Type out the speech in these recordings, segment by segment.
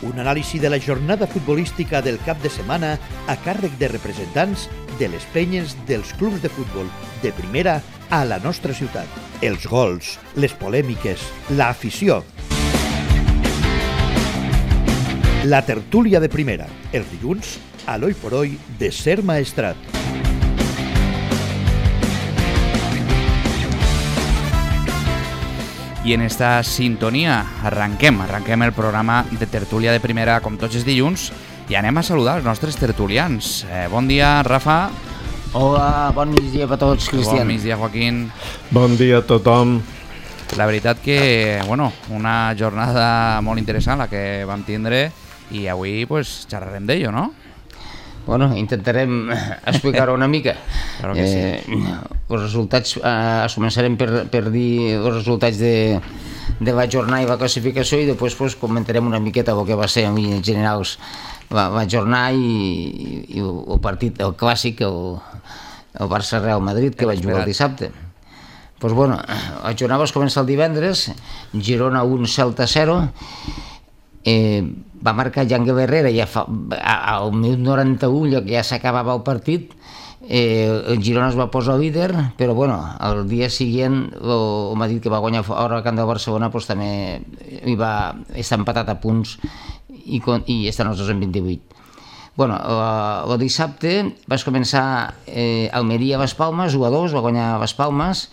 Un anàlisi de la jornada futbolística del cap de setmana a càrrec de representants de les penyes dels clubs de futbol de primera a la nostra ciutat. Els gols, les polèmiques, l'afició. La tertúlia de primera, els dilluns, a l'Oi por Hoy de Ser Maestrat. I en esta sintonia arrenquem el programa de tertúlia de primera com tots els dilluns i anem a saludar els nostres tertulians. Bon dia, Rafa. Hola, bon migdia per tots, Cristian. Bon migdia, Joaquín. Bon dia a tothom. La veritat que, una jornada molt interessant la que vam tindre i avui pues, xerrarem d'ello, no? Bueno, intentarem explicar-ho una mica. Claro que sí. Els resultats, començarem per dir els resultats de la jornada i la classificació i després pues, comentarem una miqueta el que va ser en general la jornada i el partit, el clàssic, el Barça-Real Madrid, que vaig jugar el dissabte. Pues bueno, la jornada va començar el divendres, Girona 1, Celta 0, va marcar Jangue Herrera ja al minut 91, ja s'acabava el partit. El Girona es va posar líder, però bueno, el dia següent el Madrid, que va guanyar fora al camp del Barcelona, pues, també està empatat a punts i estan els dos en 28. Bueno, el dissabte va començar Almeria Las Palmas, 1-2, va guanyar Las Palmas,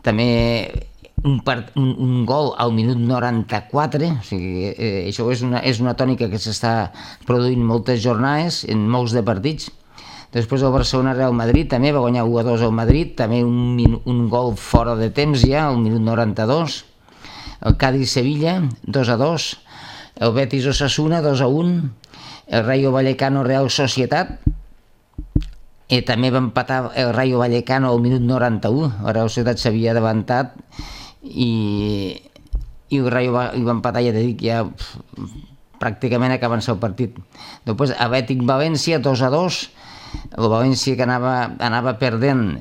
també un gol al minut 94, o sigui, això és una tònica que s'està produint moltes jornades en molts de partits. Després el Barcelona-Real Madrid també va guanyar 1-2 al Madrid, també un gol fora de temps ja, al minut 92. El Cádiz-Sevilla, 2-2. El Betis-Osasuna, 2-1. El Rayo Vallecano-Real Societat, també va empatar el Rayo Vallecano al minut 91. La Real Societat s'havia davantat i el Rayo va empatar, ja t'he dit, ja pràcticament acabant-se el partit. Després Atlètic València, 2-2. El València, que anava perdent,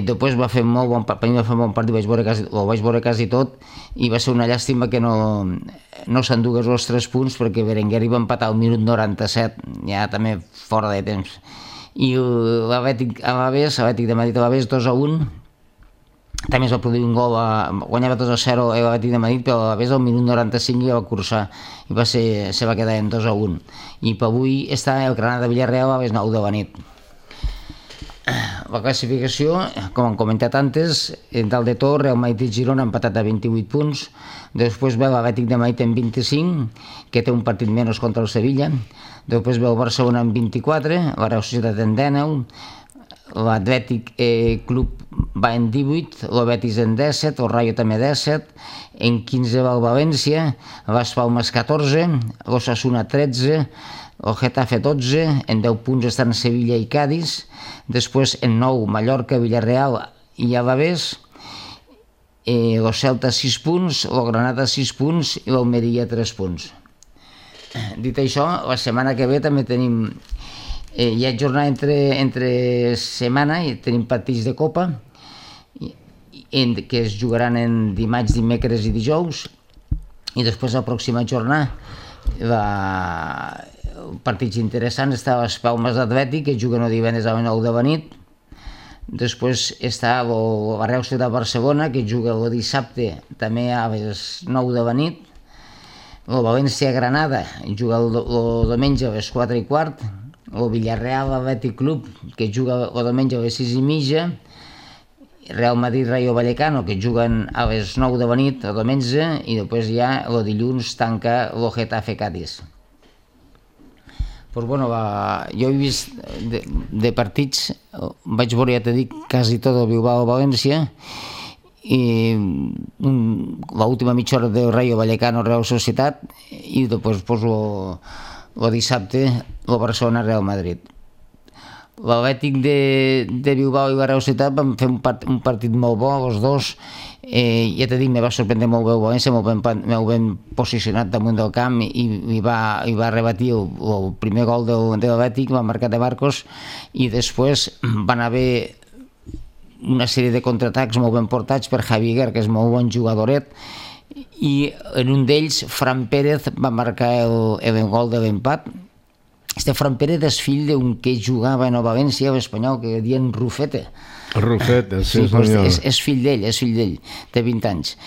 després va fer molt bon partit, ho vaig veure quasi tot, i va ser una llàstima que no s'endugués els 3 punts, perquè Berenguer va empatar al minut 97, ja també fora de temps. I l'Atlètic de Madrid a l'Alavés, 2-1, també es va produir un gol, guanyava 2-0 l'Atlètic de Madrid, però l'Alavés al minut 95 ja va cursar i se va quedar en 2-1. I per avui està el Granada Villarreal a les 9 de la nit. La classificació, com hem comentat antes, dalt de tot, Real Madrid i Girona han empatat a 28 punts, després ve l'Atlètic de Madrid en 25, que té un partit menys contra el Sevilla, després ve el Barcelona en 24, la Real Societat en 19, l'Atlètic Club va en 18, el Betis en 17, el Rayo també 17, en 15 va el València, Las Palmas 14, l'Osasuna 13, el Getafe 12, en 10 punts estan Sevilla i Cádiz, després en 9 Mallorca, Villarreal i Alavés, el Celta 6 punts, el Granada 6 punts i l'Almeria 3 punts. Dit això, la setmana que ve també tenim hi ha jornada entre setmana i tenim partits de Copa que es jugaran en dimarts, dimecres i dijous, i després la pròxima jornada partits interessants està les Palmes d'Atlètic, que juguen el divendres a les 9 de la nit. Després està la Real Societat de Barcelona, que juga el dissabte també a les 9 de la nit. El València-Granada juga el diumenge a les 4:15. El Villarreal Atlètic Club, que juga el diumenge a les 6:30, Real Madrid Rayo Vallecano, que juguen a les 9 de la nit el diumenge, i després ja el dilluns tanca el Getafe Cádiz. Pues bueno, jo he vist de partits, vaig veure, ja t'he dit, quasi tot el Bilbao València, i l'última mitja hora del Rayo Vallecano Real Societat, i després el dissabte el Barcelona Real Madrid. L'Atlètic de Bilbao i la Real Societat van fer un partit molt bo, els dos. Ja t'he dit, me va sorprendre molt bé el València, molt ben posicionat damunt del camp, i va rebatir el primer gol de l'Atlètic, va marcar de Marcos, i després van haver una sèrie de contraatacs molt ben portats per Javi Guerra, que és molt bon jugadoret, i en un d'ells Fran Pérez va marcar el gol de l'empat. Fran Pérez és fill d'un que jugava a Nova València, espanyol, que diuen Rufete. Rufete, sí pues senyor. És fill d'ell, té 20 anys.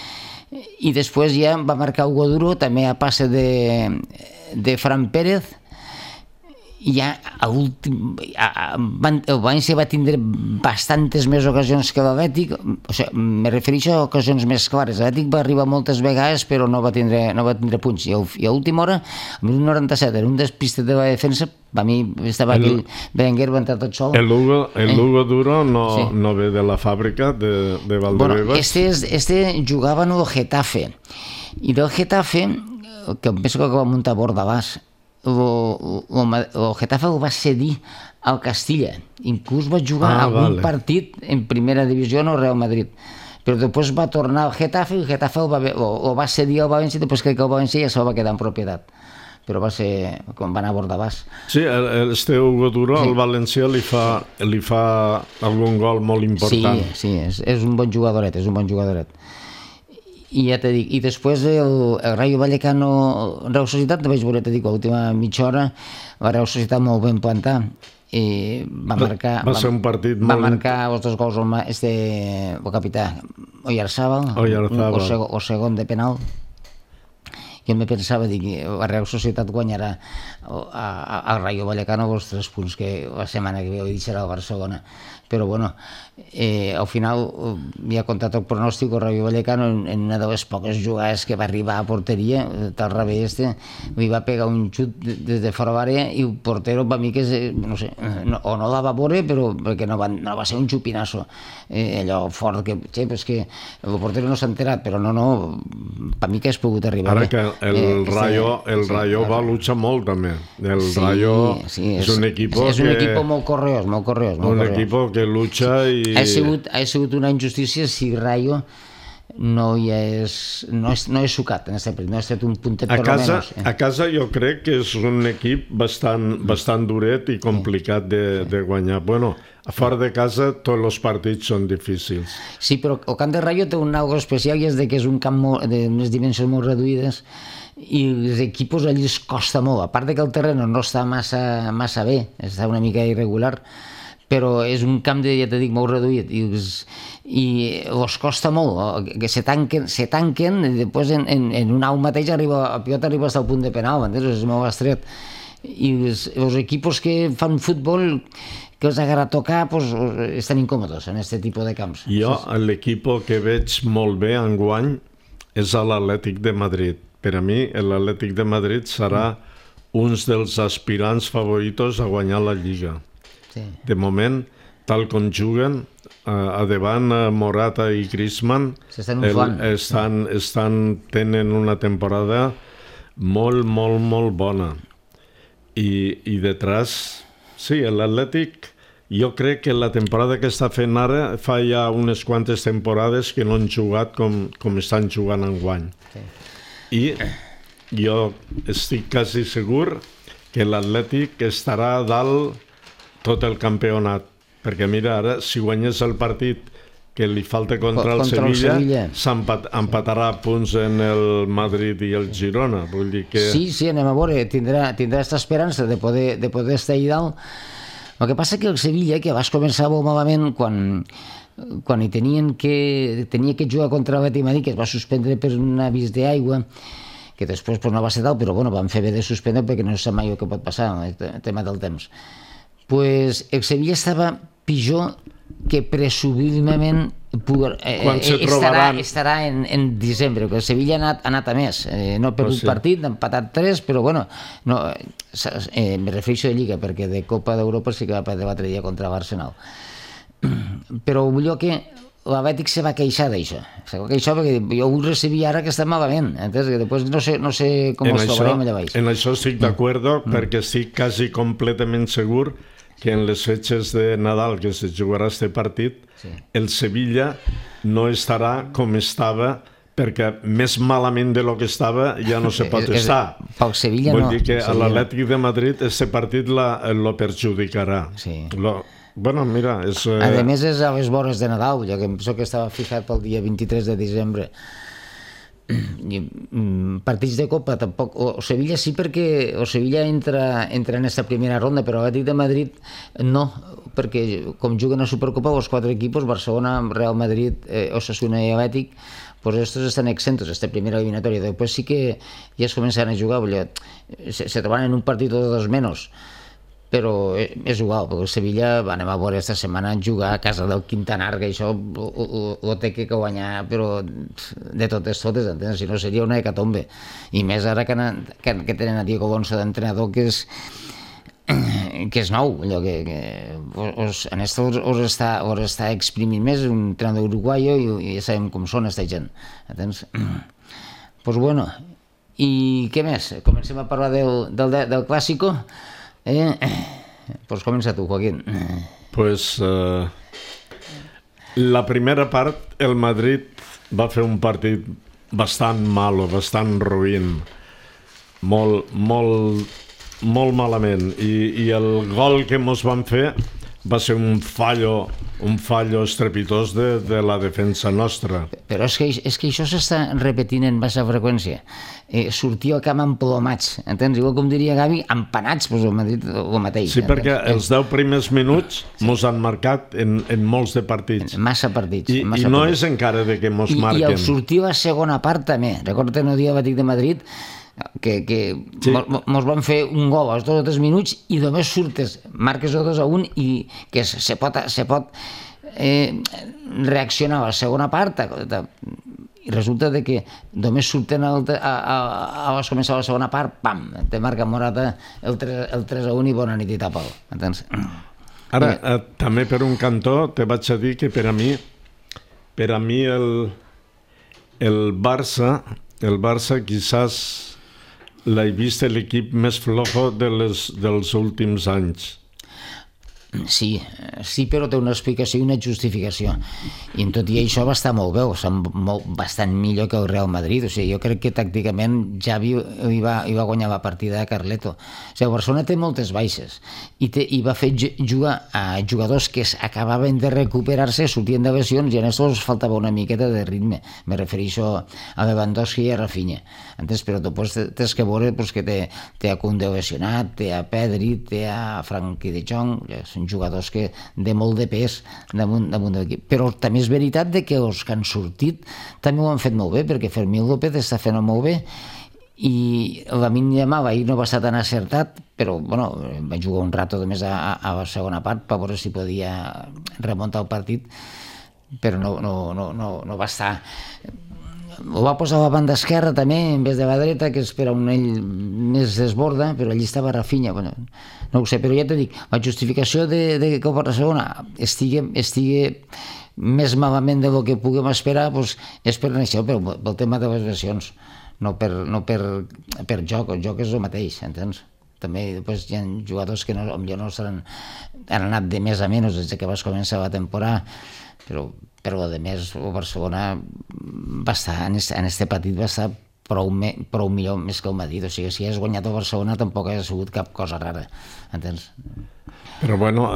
I després ja va marcar Hugo Duro, també a passe de Fran Pérez, i ja el València va tindre bastantes més ocasions que l'Atlètic, o sigui, me refereixo a ocasions més clares. L'Atlètic va arribar moltes vegades però no va tindre punts, i a última hora, en el 97, en un despistet de la defensa, a mi estava aquell Berenguer, va entrar tot sol. El Hugo Duro no ve de la fàbrica de Valdebebas. Este jugava en el Getafe, i del Getafe, que penso que va muntar Bordalàs, el Getafe ho va cedir al Castilla, inclús va jugar algun partit en primera divisió en el Real Madrid, però després va tornar al Getafe i el Getafe ho va cedir al València, després crec que el València ja se'l va quedar en propietat, però va ser quan va anar a Bordalàs. Sí, este Hugo Duro al València li fa algun gol molt important. Sí, és un bon jugadoret, i ja t'he dit, i després el Rayo Vallecano Real Societat, vaig veure, t'he dit, a l'última mitja hora la Real Societat molt ben plantar, va ser un partit va marcar els 2 gols el capità Oyarzábal, o segon de penal. Jo me pensava, dic, la Real Societat guanyarà al Rayo Vallecano els 3 punts que la setmana que ve ho deixarà al Barcelona, però bueno, al final ja ha contat el pronòstic. El Rayo Vallecano en una de les poques jugades que va arribar a porteria, tal revés, li va pegar un xut des de fora d'àrea i el portero, per mi, que no sé, o no la va veure, però perquè no va ser un xupinasso allò fort, que el portero no s'ha enterat, però no, per mi que has pogut arribar. Ara que el Rayo va luchar molt també. El Rayo és un equip molt correós, un equip que lucha i... Ha sigut una injustícia si Rayo no és sucat en aquest partit, no ha estat un puntet per almenys. A casa jo crec que és un equip bastant duret i complicat de guanyar. Bueno, a fora de casa tots els partits són difícils. Sí, però el camp de Rayo té un algo especial, i és que és un camp d'unes dimensions molt reduïdes i els equips allí es costa molt, a part que el terreny no està massa bé, està una mica irregular, però és un camp, ja t'he dit, molt reduït, i els costa molt, que se tanquen, i després en un au mateix el pilota arriba fins al punt de penal, és molt estret, i els equips que fan futbol, que els agarra a tocar, estan incòmodes en aquest tipus de camps. Jo, l'equip que veig molt bé enguany és l'Atlètic de Madrid. Per a mi, l'Atlètic de Madrid serà un dels aspirants favoritos a guanyar la Lliga. De moment, tal com juguen, a davant Morata i Griezmann tenen una temporada molt bona. I detrás, sí, l'Atlètic, jo crec que la temporada que està fent ara fa ja unes quantes temporades que no han jugat com estan jugant enguany. I jo estic quasi segur que l'Atlètic estarà dalt tot el campionat, perquè mira, ara si guanyés el partit que li falta contra el Sevilla, s'empatarà punts en el Madrid i el Girona, vull dir que... Sí, anem a veure, tindrà aquesta esperança de poder estar allà dalt. El que passa que el Sevilla, que abans començava molt malament quan tenia que jugar contra l'Atlètic Madrid, que es va suspendre per un avís d'aigua, que després no va ser tal, però van fer bé de suspendre perquè no sap mai el que pot passar, el tema del temps. Pues el Sevilla estava pitjor que presumiblement estarà en desembre, que el Sevilla ha anat a més, no ha perdut partit, ha empatat 3, però me refereixo de Lliga, perquè de Copa d'Europa sí que va perdre l'altre dia contra l'Arsenal. Però millor que l'Atlètic se va queixar d'això, perquè jo ho recibia ara que està malament, entens? Que després no sé com els trobarem allà baix. En això estic d'acord, perquè estic quasi completament segur que en les fetges de Nadal que se jugarà este partit, el Sevilla no estarà com estava, perquè més malament de lo que estava ja no se pot estar. Pel Sevilla no. Vull dir que a l'Atlètic de Madrid este partit lo perjudicarà. Bueno, mira, és... A més és a les vores de Nadal, jo que penso que estava fixat pel dia 23 de desembre. partits de Copa tampoc, o Sevilla sí, perquè o Sevilla entra en aquesta primera ronda, però l'Atlètic de Madrid no, perquè com juguen a Supercopa els 4 equipos, Barcelona, Real Madrid, Osasuna i Atlètic, pues estos están exentos, esta primera eliminatoria. Después sí que ya se comenzaron a jugar, se troban en un partido de 2 menos, però és igual, perquè el Sevilla anem a veure esta setmana jugar a casa del Quintanar, que això ho té que guanyar, però de totes, entens? Si no seria una hecatombe. I més ara que tenen a Diego Alonso d'entrenador, que és nou, allò que en esto us està exprimint més, un entrenador uruguayo, i ja sabem com són esta gent, entens? Pues bueno, i què més? Comencem a parlar del Clásico. Pues comença tu, Joaquín. Pues la primera part el Madrid va fer un partit bastant malo, bastant ruïn, molt malament, i el gol que mos van fer va ser un fallo estrepitós de la defensa nostra. Però és que això s'està repetint en baixa freqüència. Sortir al camp emplomats, entens? Igual com diria Gavi, empanats, doncs el Madrid el mateix. Sí, perquè els 10 primers minuts mos han marcat en molts de partits. Massa partits. I no és encara de que mos marquen. I el sortir a la segona part també. Recorda el dia Atlètic de Madrid que sí, mos van fer un gol als 2 o 3 minuts i només surtes, marques el 2-1 i que se pot reaccionar a la segona part i resulta que només surten a començar la segona part, pam, te marca Morata el 3-1 i bona nit i tapa'l, entens? Ara, també per un cantó te vaig a dir que per a mi el Barça quizás l'he vist l'equip més flojo dels últims anys. Sí, però té una explicació i una justificació. I en tot i això va estar molt bé, bastant millor que el Real Madrid. O sigui, jo crec que tàcticament Xavi va guanyar la partida a Carleto. O sigui, Barcelona té moltes baixes i va fer jugar a jugadors que acabaven de recuperar-se, sortien de lesions i a estos faltava una miqueta de ritme. Me refereixo a Lewandowski i a Rafinha. Entens? Però després tens que veure que té a Koundé lesionat, té a Pedri, té a Frenkie de Jong, són jugadors que de molt de pes damunt de l'equip. Però també és veritat que els que han sortit també ho han fet molt bé, perquè Fermín López està fent molt bé i Lamine Yamal ahir no va estar tan acertat, però bueno, va jugar un rato més a la segona part per veure si podia remuntar el partit, però no va estar. Ho va posar a la banda esquerra també en vez de la dreta, que és per on ell més desborda, però allí estava Rafinha. Bueno, no ho sé, però ja t'ho dic, la justificació de que el Barcelona estigui més malament del que puguem esperar és per això, pel tema de les lesions, no per joc. El joc és el mateix, entens? També després hi ha jugadors que potser no han anat de més a menys des que vas començar la temporada, però a més el Barcelona va estar en este partit va estar prou millor més que el Madrid. O sigui, si has guanyat el Barcelona tampoc ha sigut cap cosa rara, entens? Però bueno,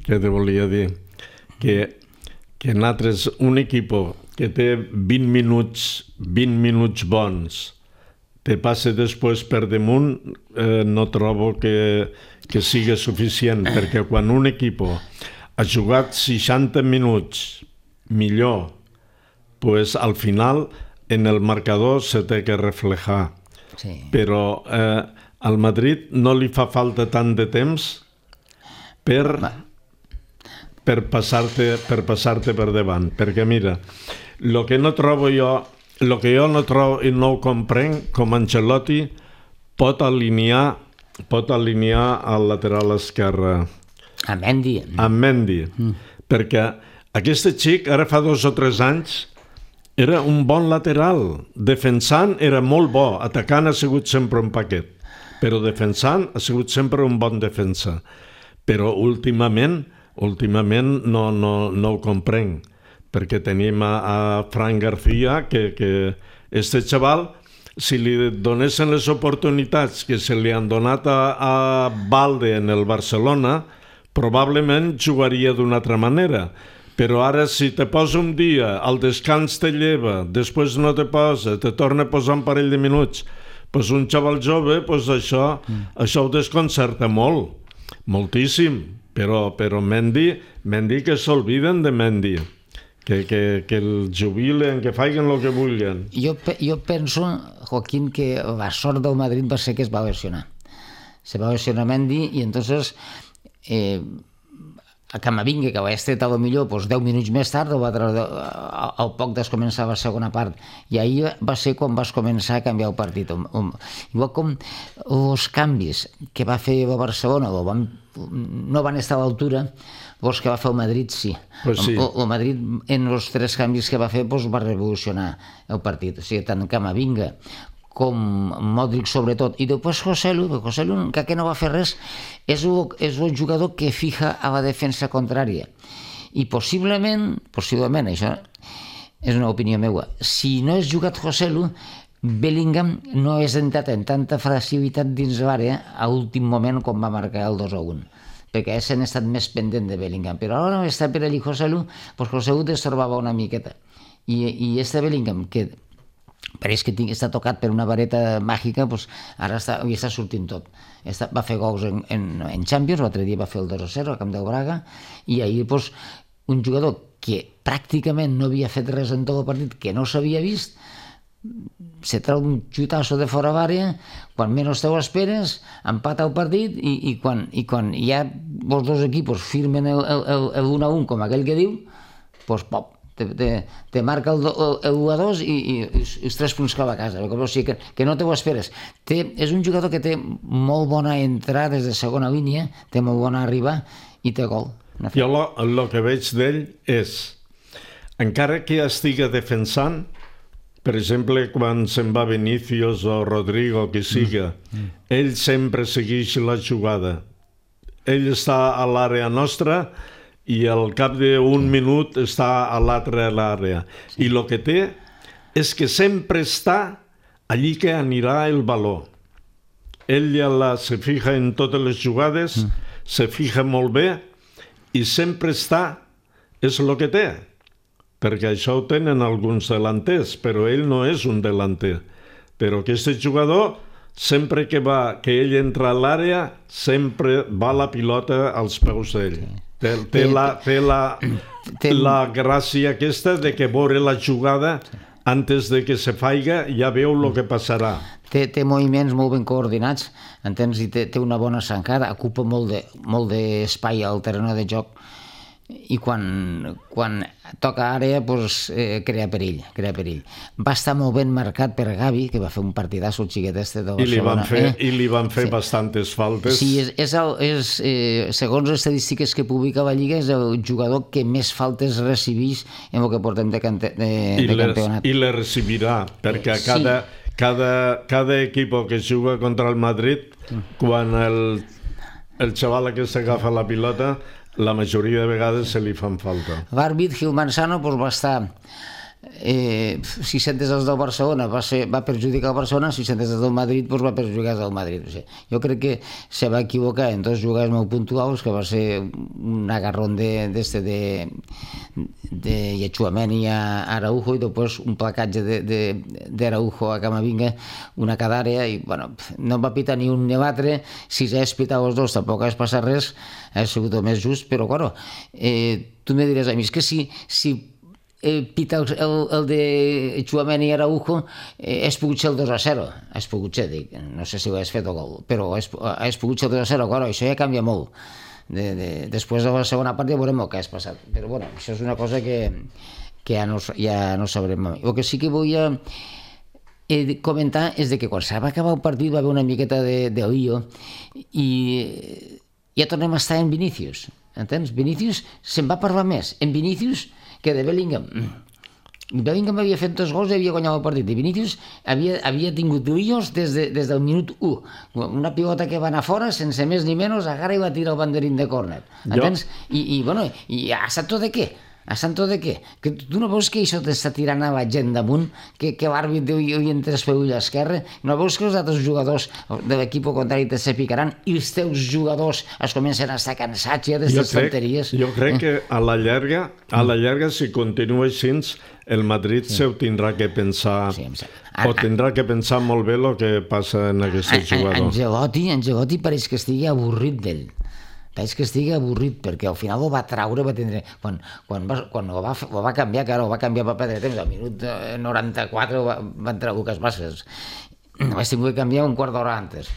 què te volia dir? Que nosaltres, un equip que té 20 minuts bons, te passa després per damunt, no trobo que sigui suficient, perquè quan un equip ha jugat 60 minuts millor, pues al final en el marcador se té que reflejar. Sí. Però al Madrid no li fa falta tant de temps per passar-te per davant, perquè mira, el que jo no trobo i no ho comprenc, com Ancelotti pot alinear al lateral esquerre a Mendy, perquè aquest xic ara fa 2 o 3 anys era un bon lateral, defensant era molt bo, atacant ha sigut sempre un paquet, però defensant ha sigut sempre un bon defensa, però últimament no ho comprenc, perquè tenim a Fran García que este xaval, si li donessin les oportunitats que se li han donat a Balde en el Barcelona, probablement jugaria d'una altra manera, Però ara, si te posa un dia, al descans te lleva, després no te posa, te torna a posar un parell de minuts, doncs un xaval jove, doncs això ho desconcerta molt, moltíssim. Però Mendy que s'olviden de Mendy. Que el jubilen, que facin el que vulguin. Jo penso, Joaquín, que la sort del Madrid va ser que es va lesionar. Se va lesionar Mendy i entonces a Camavinga, que va estar a lo millor 10 minuts més tard, al poc començava la segona part. I ahir va ser quan vas començar a canviar el partit. Igual com els canvis que va fer el Barcelona no van estar a l'altura, els que va fer el Madrid sí. Pues sí. El Madrid en els 3 canvis que va fer va revolucionar el partit. O sigui, tant Camavinga com Modric sobretot, i després Joselu, que no va fer res, és el jugador que fija a la defensa contrària. I possiblement, això és una opinió meva, si no és jugat Joselu, Bellingham no és entrat en tanta facilitat dins l'àrea a últim moment quan va marcar el 2-1, perquè s'han estat més pendent de Bellingham, però ara no està per allí Joselu, doncs Joselu destorbava una miqueta, i este Bellingham, que pareix que està tocat per una vareta màgica, ara hi està sortint tot. Va fer gols en Champions, l'altre dia va fer el 2-0 al camp del Braga, i ahir un jugador que pràcticament no havia fet res en tot el partit, que no s'havia vist, se trau un xutasso de fora d'àrea, quan menys te ho esperes, empata el partit, i quan ja els dos equips firmen el 1-1, com aquell que diu, doncs pop, te marca el 1-2 i els 3 punts cap a casa. O sigui que no te ho esperes. És un jugador que té molt bona entrada des de segona línia, té molt bona arribar i té gol. Jo el que veig d'ell és, encara que estigui defensant, per exemple, quan se'n va Vinícius o Rodrigo, que siga, ell sempre segueix la jugada. Ell està a l'àrea nostra i al cap d'un minut està a l'altra àrea. I el que té és que sempre està allí que anirà el valor. Ell ja se fija en totes les jugades, se fija molt bé i sempre està, és el que té. Perquè això ho tenen alguns delanters, però ell no és un delanter. Però aquest jugador, sempre que ell entra a l'àrea, sempre va la pilota als peus d'ell. Té la gràcia aquesta de que veure la jugada antes de que se faiga ja veu el que passarà. Té moviments molt ben coordinats, entens? I té una bona zancada, ocupa molt d'espai al terreny de joc i quan toca àrea crea perill. Va estar molt ben marcat per Gavi, que va fer un partidasso el xiquet este de Barcelona. I li van fer bastantes faltes. Sí, segons les estadístiques que publica la Lliga, és el jugador que més faltes recibeix en el que portem de campionat. I les recibirà, perquè cada equip que juga contra el Madrid, quan el xaval aquest agafa la pilota, la majoria de vegades se li fan falta. L'àrbit Gil Manzano va estar 600 del Barcelona, va perjudicar el Barcelona, 600 del Madrid va perjudicar el Madrid. Jo crec que se va equivocar en 2 jugades molt puntuals, que va ser un agarrón de Tchouaméni a Araujo i després un placatge d'Araujo a Camavinga, una cada àrea, i no va pitar ni un ni l'altre. Si s'ha pitat els dos tampoc ha passat res, ha sigut el més just, però tu me diràs a mi, és que si pita el de Tchouaméni i Araujo, és pogut ser el 2-0, és pogut ser, no sé si ho has fet o gol, però és pogut ser el 2-0, això ja canvia molt. Després de la segona part ja veurem el que has passat, però això és una cosa que ja no sabrem. El que sí que volia comentar és que quan s'ha acabat el partit va haver una miqueta de lío i ja tornem a estar en Vinícius, entens? Vinícius se'n va parlar més en Vinícius que de Bellingham. Bellingham havia fet 2 gols i havia guanyat el partit, i Vinícius havia tingut líos des del minut 1. Una pilota que va anar fora, sense més ni menys, agarra i va tirar el banderín de córner, entens? I ha estat tot de què? A santo de què? Que tu no veus que això t'està tirant a la gent damunt, que l'àrbit diu i entres per ull esquerre? No veus que els altres jugadors de l'equip contrari se picaran i els teus jugadors es comencen a estar cansats ja d'aquestes tonteries? Jo crec que a la llarga, si continua així, el Madrid se ho tindrà que pensar, o tindrà que pensar molt bé el que passa en aquest jugador. Ancelotti pareix que estigui avorrit d'ell. Pareix que estigui avorrit, perquè al final ho va traure, va tindre... Quan ho va canviar, que ara ho va canviar per perdre temps, al minut 94 va entrar Lucas Vázquez. Vaig tenir que canviar un quart d'hora antes.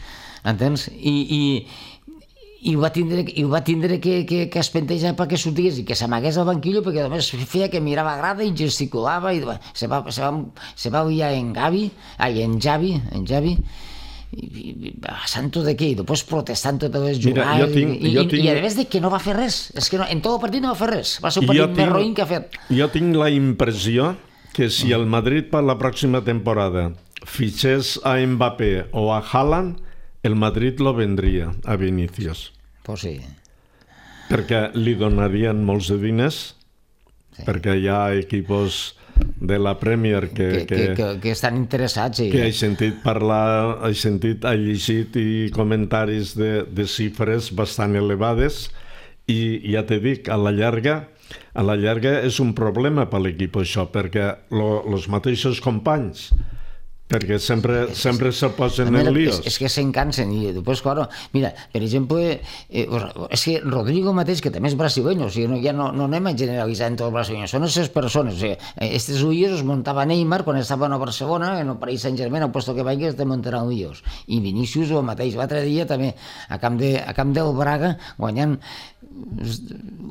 Entens? I ho va tindre que espentejar perquè sortís i que s'amagués al banquillo, perquè només feia que mirava grada i gesticulava i se va liar en Xavi, a santo de què, i després protestant totes les jugades, i a més de que no va fer res, és que en tot el partit no va fer res, va ser un partit més roïn que ha fet. Jo tinc la impressió que si el Madrid per la pròxima temporada fitxés a Mbappé o a Haaland, el Madrid lo vendria a Vinícius. Pues sí. Perquè li donarien molts de diners, perquè hi ha equipos de la Premier que estan interessats, sí. Que he sentit parlar, he llegit i comentaris de xifres bastant elevades, i ja te dic, a la llarga és un problema per l'equip això, perquè els mateixos companys, perquè sempre se posen en líos. És que se'n cansen i després, claro, mira, per exemple, és que Rodrigo mateix, que també és brasileño, o sigui, ja no anem a generalitzar en tots els brasileños, són aquestes persones, o sigui, estos líos els muntava Neymar quan estava a Barcelona, en el Paris Saint-Germain, al puesto que vagis te muntaran líos, i Vinícius el mateix, l'altre dia també, a camp del Braga, guanyant,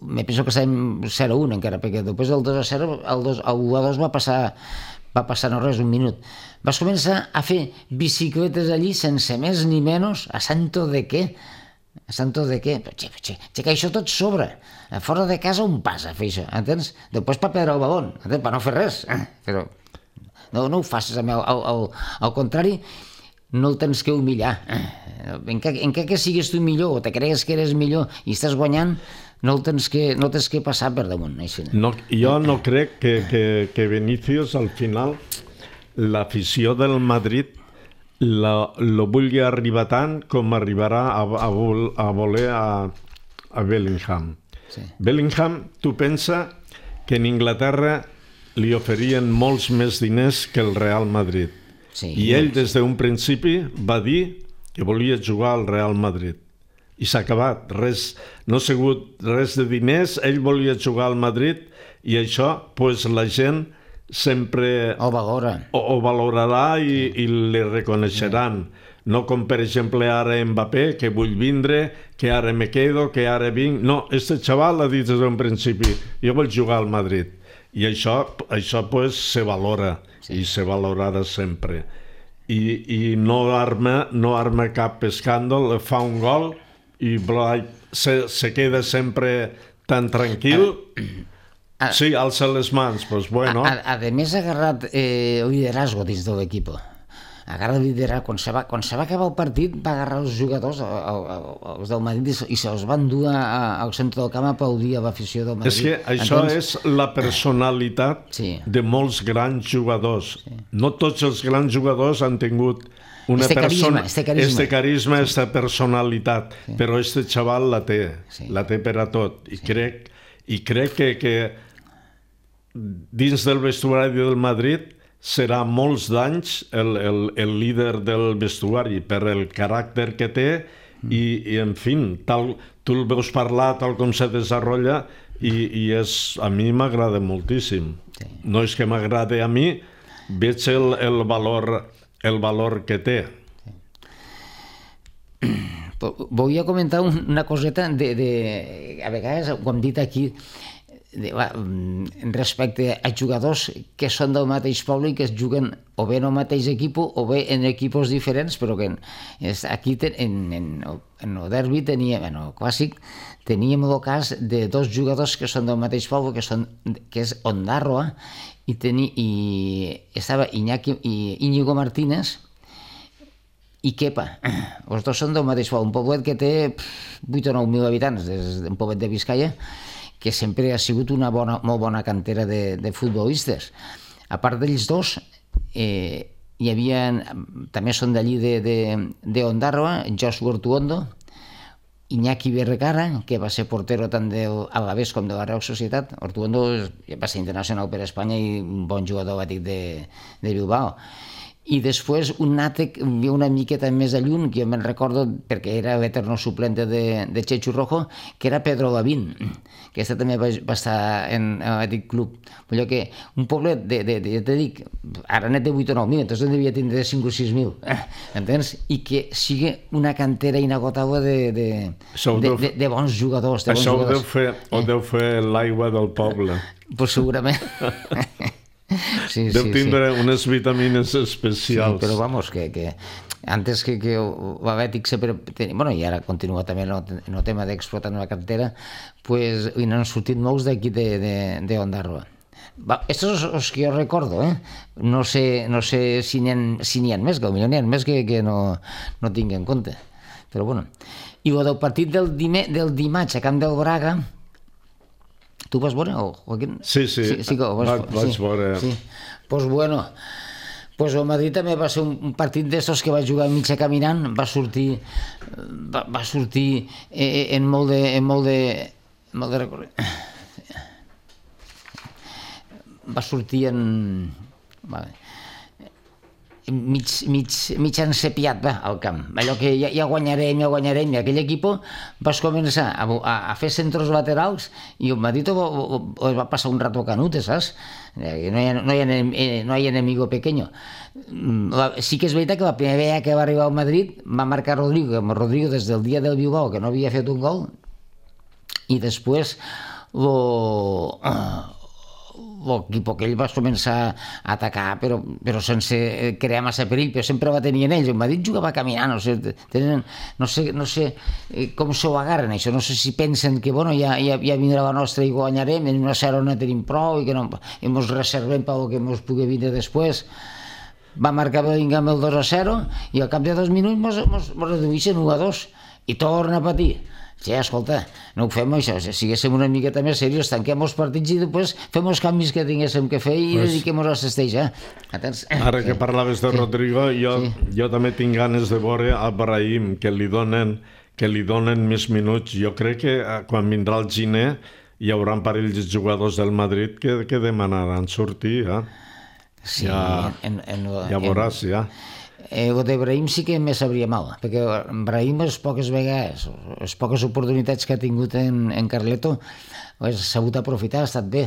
me penso que estàvem 0-1 encara, perquè després del 2-0, el 1-2 va passar no res, un minut. Vas començar a fer bicicletes allí sense més ni menys, a santo de què? A santo de què? Que això tot sobra. Fora de casa un pas a fer això, entens? Després per perdre el balón, per no fer res. Però no ho facis, al contrari, no el tens que humillar. Encara que siguis tu millor o te cregues que eres millor i estàs guanyant, no tens que passar per damunt. Jo no crec que Vinícius al final l'afició del Madrid lo vulgui arribar tant com arribarà a voler a Bellingham. Bellingham, tu pensa que en Inglaterra li oferien molts més diners que el Real Madrid. I ell des d'un principi va dir que volia jugar al Real Madrid. I s'ha acabat. No ha sigut res de diners, ell volia jugar al Madrid i això, pues, la gent sempre ho valorarà i li reconeixeran. No com, per exemple, ara Mbappé, que vull vindre, que ara me quedo, que ara vinc... No, este xaval ha dit des d'un principi, jo vull jugar al Madrid. I això pues, se valora, i se valorarà sempre. I no arma cap escàndol, fa un gol i se queda sempre tan tranquil. Sí, alça les mans, doncs bueno. A més, ha agarrat liderazgo dins de l'equip. Agarra el liderazgo. Quan se va acabar el partit, va agarrar els jugadors, els del Madrid, i se'ls van dur al centre del camp a aplaudir a l'afició del Madrid. És que això és la personalitat de molts grans jugadors. No tots els grans jugadors han tingut este carisma, esta personalitat, però este xaval la té per a tot. I crec que dins del vestuari del Madrid serà molts d'anys el líder del vestuari per el caràcter que té i en fi, tu el veus parlar tal com se desenvolupa i a mi m'agrada moltíssim. No és que m'agrada a mi, veig el valor que té. Volia comentar una coseta a vegades ho hem dit aquí respecte a jugadors que són del mateix poble i que es juguen o bé en el mateix equip o bé en equips diferents, però que aquí en el derbi teníem, en el clàssic, teníem el cas de dos jugadors que són del mateix poble, que és Ondarroa, i estava Íñigo Martínez i Kepa. Els dos són del mateix poble, un poblet que té 8 o 9 mil habitants, un poblet de Vizcaya, que sempre ha sigut una molt bona cantera de futbolistes. A part d'ells dos, hi havia, també són d'allí d'Ondarroa, Joshua Ortuondo, Iñaki Berrecara, que va ser portero tant del Alavés com de la Real Societat. Ortuondo va ser internacional per Espanya i un bon jugador bàtic de Bilbao. I després un altre, una miqueta més a lluny, que jo me'n recordo perquè era l'eterno suplente de Chechu Rojo, que era Pedro Lavín, que aquesta també va estar en aquest club. Però que un poblet ja te dic, ara net de 8 o 9.000, entonces devia tindre 5 o 6.000, entens? I que sigui una cantera inagotable de bons jugadors. Això ho deu fer l'aigua del poble. Pues segurament. Deu tindre unes vitamines especials. Sí, però vamos, que antes que l'Atlètic sempre tenia, bueno, i ara continua també en el tema d'explotar la cantera, pues n'han sortit molts d'aquí d'Ondarroa. Estos són els que jo recordo, no sé si n'hi ha més, que potser n'hi ha més que no tinc en compte, però bueno. I el del partit del dimarts a Camp del Braga, tu vas veure, Joaquín? Sí, vaig veure. Pues bueno, pues el Madrid també va ser un partit d'estos que va jugar mitja caminant, va sortir en molt de recorregut. Va sortir mig encepiat al camp, allò que ja guanyarem, i aquell equip vas començar a fer centros laterals i el Madrid va passar un rato canute, saps? No hay enemigo pequeño. Sí que és veritat que la primera vegada que va arribar al Madrid va marcar Rodrigo des del dia del Bilbao, que no havia fet un gol, i després l'equip aquell va començar a atacar però sense crear massa perill, però sempre va tenir en ells. El Madrid jugava caminant, no sé com s'ho agarren això, no sé si pensen que bueno, ja vindrà la nostra i guanyarem, en una serra no tenim prou i que ens reservem pel que ens pugui vindre després. Va marcar Bellingham el 2-0 i al cap de 2 minuts ens reduïssin 1-2 i torna a patir. Sí, escolta, no ho fem això, si siguéssim una miqueta més serios, tanquem els partits i després fem els canvis que tinguéssim que fer i dediquem-nos a Cesteix, Ara que parlaves de Rodrigo, jo també tinc ganes de veure a Brahim, que li donen més minuts. Jo crec que quan vindrà el Giner hi haurà un parell de jugadors del Madrid que demanaran sortir, Sí, ja veuràs, ja. El de Brahim sí que me sabria mal, perquè Brahim les poques vegades, les poques oportunitats que ha tingut en Carleto, ha sabut aprofitar, ha estat bé,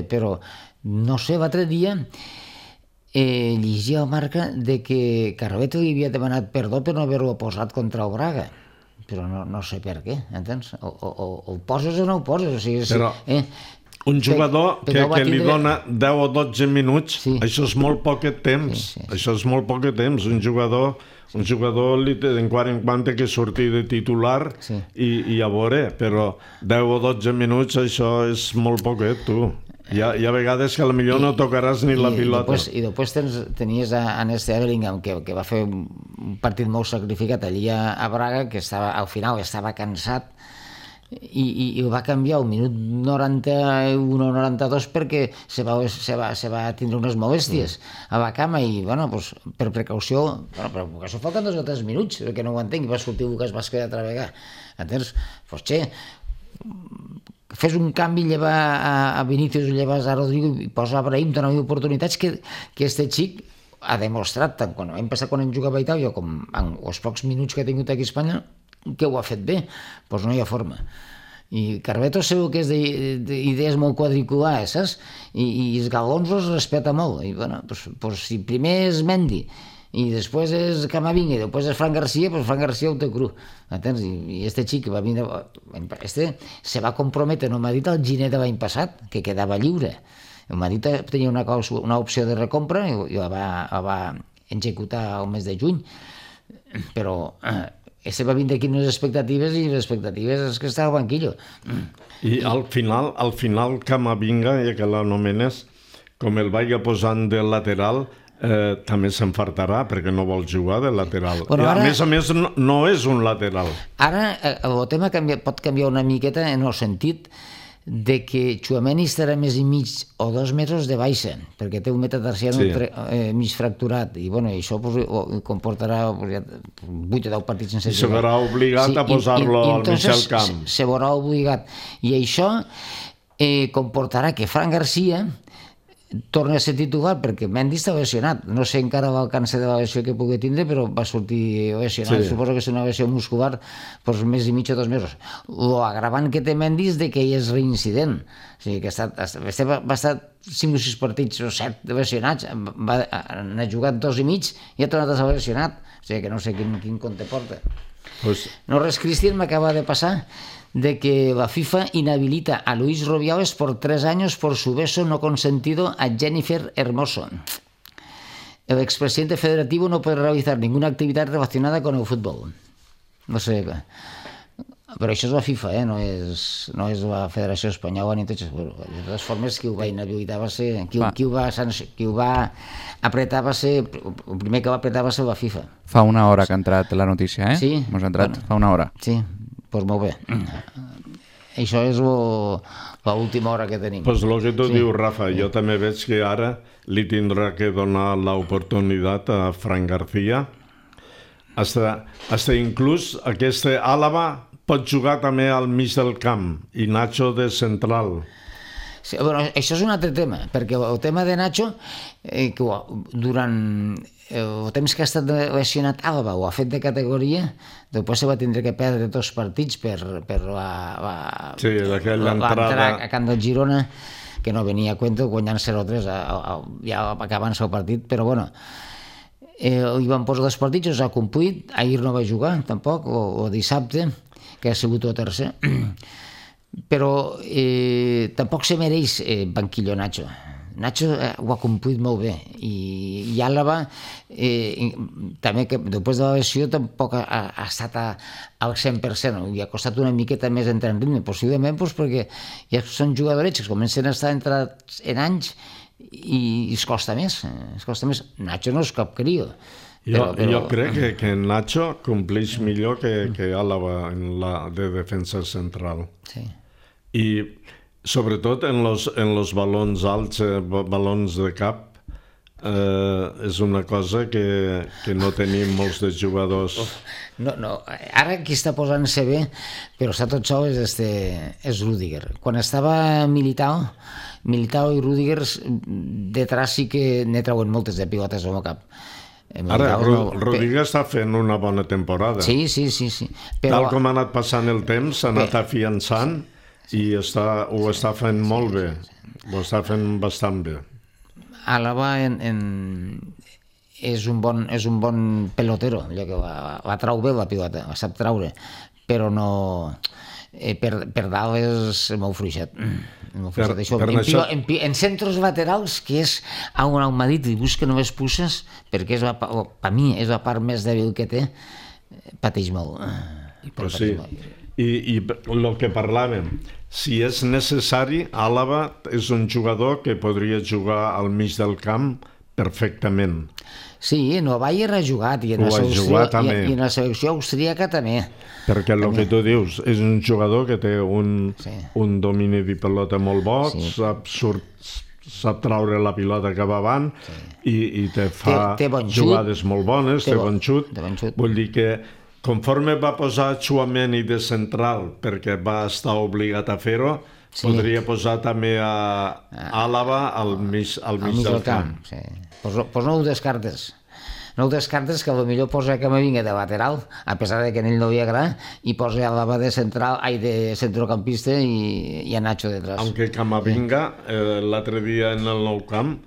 però no sé, l'altre dia llegia a Marca de que Carleto li havia demanat perdó per no haver-ho posat contra el Braga, però no sé per què, entens? O el poses o no el poses, o sigui... Però... Un jugador que li dona 10 o 12 minuts, això és molt poc temps. Això és molt poc temps. Un jugador en quant que sortir de titular i a veure, però 10 o 12 minuts això és molt poquet, tu. Hi ha vegades que potser no tocaràs ni la pilota. I després tenies a Neste Bellingham, que va fer un partit molt sacrificat allí a Braga, que al final estava cansat, i ho va canviar al minut 91 o 92 perquè se va tindre unes molèsties a la cama i, bueno, per precaució, falten 2 o 3 minuts, perquè no ho entenc, i va sortir Lucas Vázquez altra vegada. Entens? Fes un canvi, lleva a Vinícius, llevas a Rodrigo i posa a Brahim, dona oportunitats que este xic ha demostrat, tant quan hem passat quan hem jugat a Itàlia com en els pocs minuts que ha tingut aquí a Espanya, que ho ha fet bé, doncs no hi ha forma. I Carleto segur que és d'idees molt quadriculars, saps? I els galons els respecta molt. I, bueno, doncs si primer és Mendy i després és Camavinga i després és Fran Garcia, doncs Fran Garcia ho té cru. Entens? I este xic va vindre... se va comprometre, no m'ha dit el Giner de l'any passat, que quedava lliure. El Madrid tenia una opció de recompra i la va executar al mes de juny. Però... va vindre aquí unes expectatives i les expectatives és que està al banquillo. I al final Camavinga, ja que l'anomenes, com el vagi posant de lateral, també s'enfartarà perquè no vol jugar de lateral. Bueno, a més, no és un lateral. Ara el tema pot canviar una miqueta en el sentit de que Tchouaméni estarà més i mig o 2 mesos de baixa, perquè té un metatarsiano mig fracturat, i bueno, això comportarà 8 o 10 partits sense jugar. I se verà obligat a posar-lo al mig del camp. Se veurà obligat. I això comportarà que Fran García torna a ser titular, perquè Mendy està lesionat. No sé encara l'alcance de la lesió que pugui tindre, però va sortir lesionat. Suposo que és una lesió muscular més i mig o 2 mesos. L'agravant que té Mendy és que ell és reincident. O sigui, que va estar 5 o 6 partits o 7 lesionats, n'ha jugat 2 i mig i ha tornat a ser lesionat. O sigui, que no sé quin compte porta. No res, Cristian, m'acaba de passar de que la FIFA inhabilita a Luis Rubiales por 3 años por su beso no consentido a Jennifer Hermoso. El expresidente federativo no puede realizar ninguna actividad relacionada con el fútbol. No sé, però això és la FIFA, no és la Federació Espanyola ni tot això. De totes formes, qui ho va inhabilitar va ser... Qui ho va apretar va ser... El primer que va apretar va ser la FIFA. Fa una hora que ha entrat la notícia, eh? Sí. Hemos entrat fa una hora. Sí. Doncs molt bé. Això és l'última hora que tenim. Pues lo que tu dius, Rafa, jo també veig que ara li tindrà que donar l'oportunitat a Fran García. Hasta inclús aquest Àlava pot jugar també al mig del camp i Nacho de central. Sí, bueno, això és un altre tema, perquè el tema de Nacho, durant el temps que ha estat lesionat Àlava o ha fet de categoria, després se va tindre que perdre 2 partits per l'entrada a camp del Girona, que no venia a cuento, guanyant 0-3 ja acabant-se el partit, però bueno, hi van posar 2 partits, els ha complit, ahir no va jugar tampoc, o dissabte, que ha sigut el tercer, però tampoc se mereix banquillo Nacho. Nacho ho ha complit molt bé i Àlava també, que després de la lesió tampoc ha estat al 100%, i ha costat una miqueta més entrar en ritme, possiblement perquè ja són jugadorets que comencen a estar entrats en anys i es costa més. Nacho no és cap crio. Jo crec que Nacho compleix millor que Àlava en la de defensa central. Sí. I sobretot en los balons alts, balons de cap, és una cosa que no tenim molts de jugadors. No, ara qui està posant-se bé, però està tot sol, és Rüdiger. Quan estava Militao i Rüdiger, detrás sí que ne treuen moltes de pilotes al cap. Ara, Rüdiger està fent una bona temporada. Sí. Tal com ha anat passant el temps, s'ha anat afiançant i ho està fent molt bé, ho està fent bastant bé. Àlava és un bon pelotero, ja que la trau bé la pilota, la sap traure, però no... Per dalt és molt fluixet. En centres laterals, que és on m'ha dit, i busca només pusses, perquè per mi és la part més dèbil que té, pateix molt. Però sí. I el que parlàvem, si és necessari, Àlava és un jugador que podria jugar al mig del camp perfectament. Sí, en el Bayern ha jugat i en la selecció austríaca també. Perquè el que tu dius, és un jugador que té un domini de pilota molt bo, sap traure la pilota cap avant i te fa jugades molt bones, té bon xut. Vull dir que conforme va posar Tchouaméni de central, perquè va estar obligat a fer-ho, podria posar també a Àlava al mig del camp. Doncs no ho descartes. No ho descartes, que potser posa Camavinga de lateral, a pesar de que a ell no li agrada, i posa Àlava de centrocampista i a Nacho detrás. Aunque Camavinga, l'altre dia en el Nou Camp,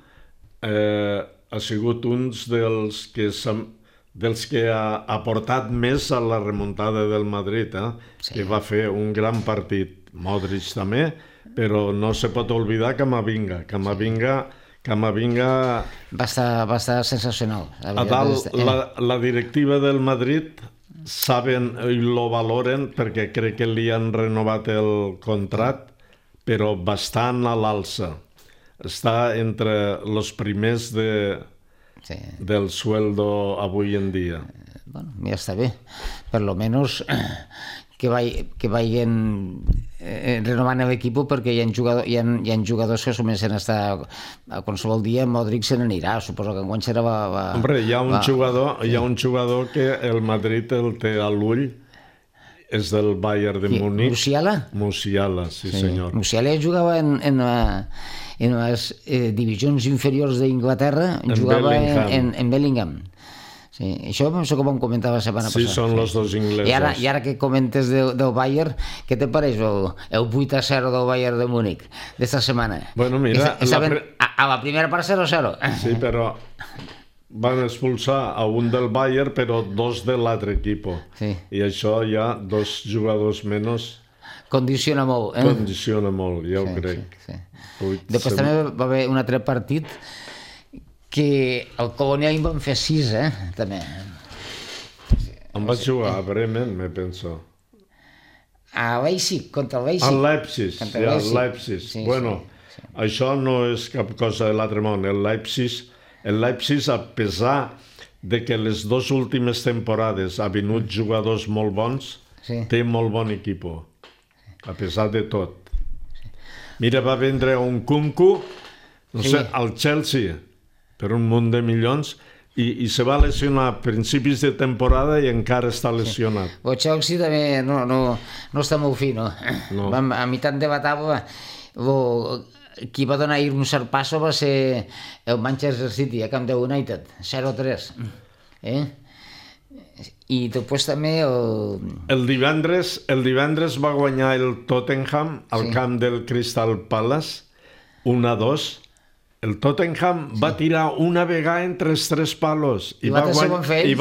ha sigut un dels que ha aportat més a la remuntada del Madrid, que va fer un gran partit. Modric també, però no se pot oblidar Camavinga. Camavinga va estar sensacional. A dalt, la directiva del Madrid saben i lo valoren, perquè crec que li han renovat el contracte, però bastant a l'alça. Està entre els primers del sueldo avui en dia. Bueno, ja està bé. Per lo menos vagin renovant l'equip, perquè hi ha jugadors que comencen a estar a qualsevol dia. Modric se n'anirà, suposo que enguany serà... Hombre, hi ha un jugador que el Madrid el té a l'ull, és del Bayern de Múnich. Musiala, sí senyor. Musiala jugava en les divisions inferiors d'Inglaterra, jugava en Bellingham. Sí, això com em comentava la setmana passada. Sí, són els dos inglesos. I ara que comentes del Bayern, què te pareix el 8-0 del Bayern de Múnich d'esta setmana? Bueno, mira... A la primera part 0-0. Sí, però van expulsar a un del Bayern, però dos de l'altre equip. Sí. I això ja, dos jugadors menys... Condiciona molt, Condiciona molt, ja ho crec. Sí. Després també va haver un altre partit que el Colònia hi van fer 6, també. Em vaig jugar a Bremen, me penso. A Leipzig, contra el Leipzig. Al Leipzig. Sí, bueno, això no és cap cosa de l'altre món. El Leipzig, a pesar de que les dues últimes temporades ha venut jugadors molt bons, té molt bon equip, a pesar de tot. Mira, va vendre un Kunku, no sé, al Chelsea, per un munt de milions, i se va lesionar a principis de temporada i encara està lesionat. El Chelsea també no està molt fi, no? A meitat de la taula, qui va donar un cert passo va ser el Manchester City, a Camp de United, 0-3. I després també el divendres va guanyar el Tottenham al camp del Crystal Palace 1-2. El Tottenham va tirar una vegada entre els 3 palos i va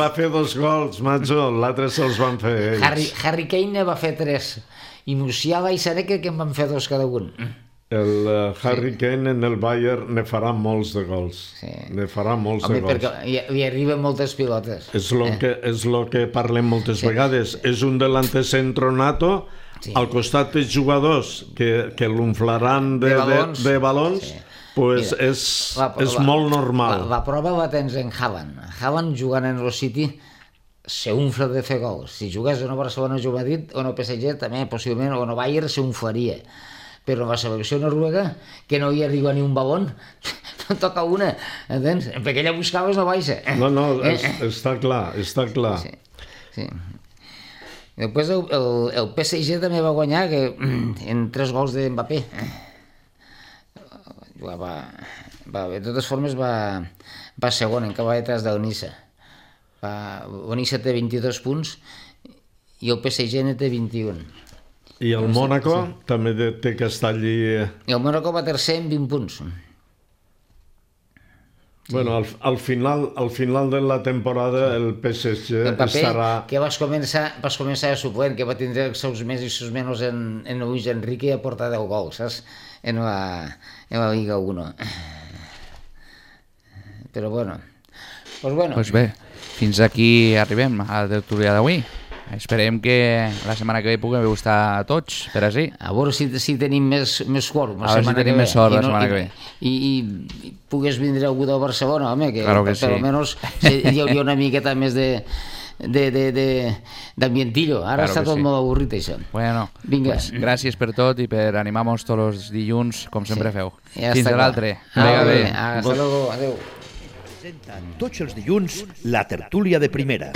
fer 2 gols, macho. L'altre se'ls van fer ells. Harry Kane va fer 3 i Musiala i Sané que en van fer 2 cada un. El Harry Kane en el Bayern ne farà molts de gols. Ne farà molts de gols. Perquè li arriben moltes pilotes. És el que parlem moltes vegades. És un delanter centro nato, al costat de jugadors que l'unflaran de balons, pues és molt normal. La prova la tens en Haaland. Haaland jugant en el City s'unfla de fer gols. Si jugués en el Barcelona o Madrid o en el PSG també possiblement, o en el Bayern s'unflaria. Però en la selecció noruega, que no hi arriba ni un balón, no toca una, entens? Perquè ella buscaves no baixa. No, està clar. Sí. Després el PSG també va guanyar en 3 gols de Mbappé. De totes formes va segon, encara va detrás del Niça. El Niça té 22 punts i el PSG ne té 21. I el Mónaco també té que estar allí... I el Mónaco va tercer amb 20 punts. Bueno, al final de la temporada el PSG estarà... Que vas començar a suplent, que va tindre els seus més i seus menys en Luis Enrique a portar 10 gols, saps? En la Liga 1. Però bueno. Doncs bé, fins aquí arribem a la tertúlia d'avui. Esperem que la setmana que ve puguem estar tots, per així. A veure si tenim més quòrum la setmana que ve. A veure si tenim més sort la setmana que ve. I pogués vindre algú del Barcelona, home, que claro que sí. Per almenys hi hauria una miqueta més d'ambientillo. Ara està tot molt avorrit, això. Bueno, pues, gràcies per tot i per animar-nos tots els dilluns, com sempre feu. Fins a l'altre. Hasta luego, adeu. Presenten tots els dilluns la tertúlia de primera.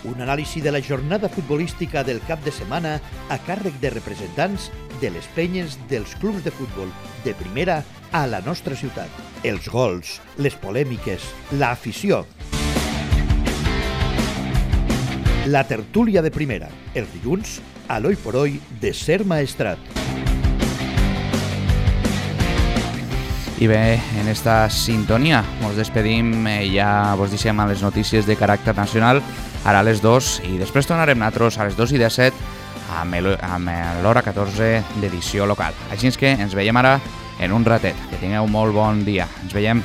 Un anàlisi de la jornada futbolística del cap de setmana a càrrec de representants de les penyes dels clubs de futbol de primera a la nostra ciutat. Els gols, les polèmiques, l'afició. La tertúlia de primera, els dilluns, a l'Hoy por Hoy de Ser Maestrat. I bé, en esta sintonia ens despedim, ja vos deixem a les notícies de caràcter nacional, ara a les 2, i després tornarem nosaltres a les 2:17 amb l'hora 14 d'edició local. Així és que ens veiem ara en un ratet. Que tingueu molt bon dia. Ens veiem.